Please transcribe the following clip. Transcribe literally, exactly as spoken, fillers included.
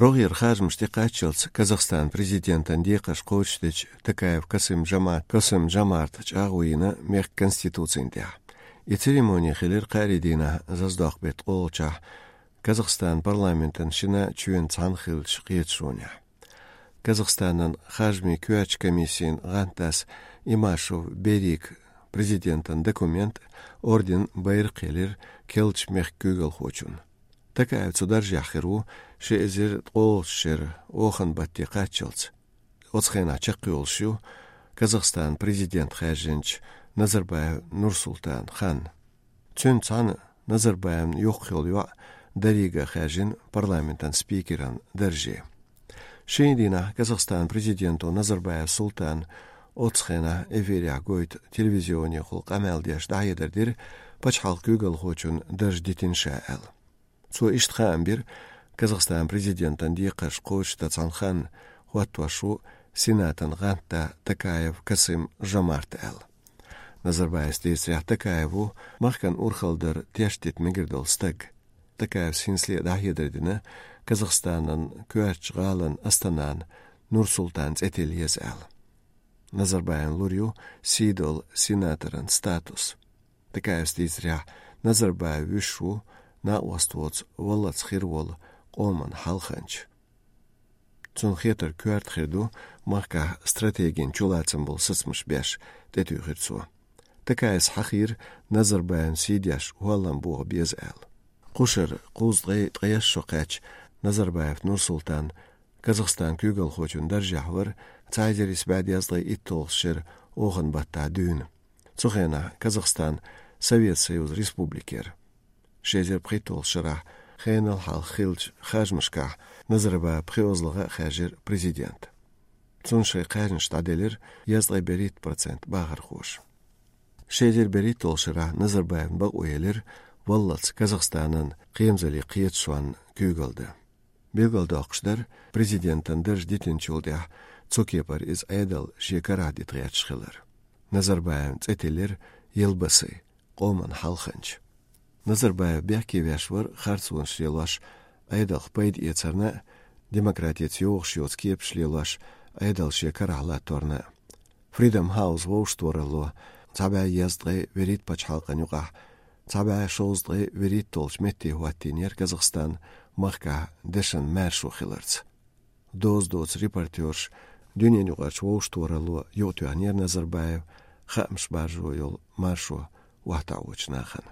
РогӀера харжамаш тӀекхаччалца Казахстан президентан декхарш кхочушдеча Токаев Касым-Жомарт, Касым-Жомарта чӀагӀо йина мехка конституцина тӀехь. И церемони хилира кхаарин дийнахь, Зазадоккху беттан ткъолгӀачохь, Казахстан парламентан шина чоьнан цхьаьна хиллачу кхеташонехь. Казахстанан харжамийн коьртачу комиссин гӀантдас Имашев Берика президентан документ, орден, байракх елира керлачу мехка куьйгалхочунна. Токаев цу даржехь хир ву ши эзар ткъолгӀачу шеран охан батте кхаччалц. Оцу хенахь чекхйолуш ю Казахстанан президент хаьржинчу Назарбаев Нурсултан хан. Цуьнца цхьаьна Назарбаевн йоккха йолу йоӀ дерриге а хаьржина парламентан спикеран дарже. Шина дийнахь Казахстанан президенто Назарбаев Султана оцу хенахь эфирехь гойту телевизионехула къамел деш дӀахьедар дира, пачхьалкхан куьйгалхочун дарж дитина ша аьлла. Цо иштта хаам бира Казахстанан президентан декхарш кхочушдан цхьана ханна хӀоттош ву Сенатан гӀантда Токаев Касым-Жомарт аьлла. Назарбаевс дийцарехь, Токаев ву махкан урхаллера тешдита мегар долу стаг. Токаевс хӀинцале а дӀахьедар дина Казахстанан коьртачу гӀалин Астанан Нурсултан цӀе тилла еза аьлла. Назарбаевн лур ю сий долу сенаторан статус. Токаевс дийцарехь, Назарбаев вуьшуш ву накъост воцу валлалц хир волу къоман хьалханча. Цунна хетар коьрта хир ду махкахь стратегин чулацам болу сацамаш беш, тӀетуьйхира цо. Токаевс хьахийра Назарбаевн сий деш хӀоллам бохо беза аьлла. Кхушара кхузткъе ткъайесна шо кхаьчча, Назарбаев Нурсултан Казахстанан куьйгалхочун даржехь вара цхьа эзар исс бӀе дезткъе итталгӀачу шеран охан баттахь дуьйна. Цу хенахь Казахстан Совет Союзан республика яра. Ши эзар пхийтталгӀачу шарахь хенал хьалха хиллачу харжамашкахь Назарбаев пхоьазлагӀа а хаьржира президент. Цунна шайн кхаьжнаш дӀаделира дезткъе берхӀитта процент бахархоша. Ши эзар берхӀитталгӀачу шарахь Назарбаевн бакъо елира валлалц Казахстанан кхерамзаллин кхеташонна куьйгалла дан. Билгалдоккхуш дара, президентан дарж дитинчул тӀаьхьа цу кепара иза Ӏедал шен карахь дита гӀерташ хилар. Назарбаевн цӀе тиллира Елбасы, къоман хьалханча. Назарбаев бехке веш вара харцонаш лелош, Ӏедалх пайда эцарна а, демократица йогӀуш йоцу кепаш лелош, Ӏедал шен карахь латторна а. Freedom House вовшахтохаралло цхьа бӀе дезткъе вуьрхӀитта пачхьалкхан юкъахь цхьа бӀе шовзткъе вуьрхӀитталгӀачу метте хӀоттийнера Казахстан махкахь дешан маьршо хиларца. Доза доцу репортёрш дуьненаюкъарчу вовшахтохаралло юкъатоьхнера Назарбаев хаамаш баржо йолу маршо охьатаӀочу нахана.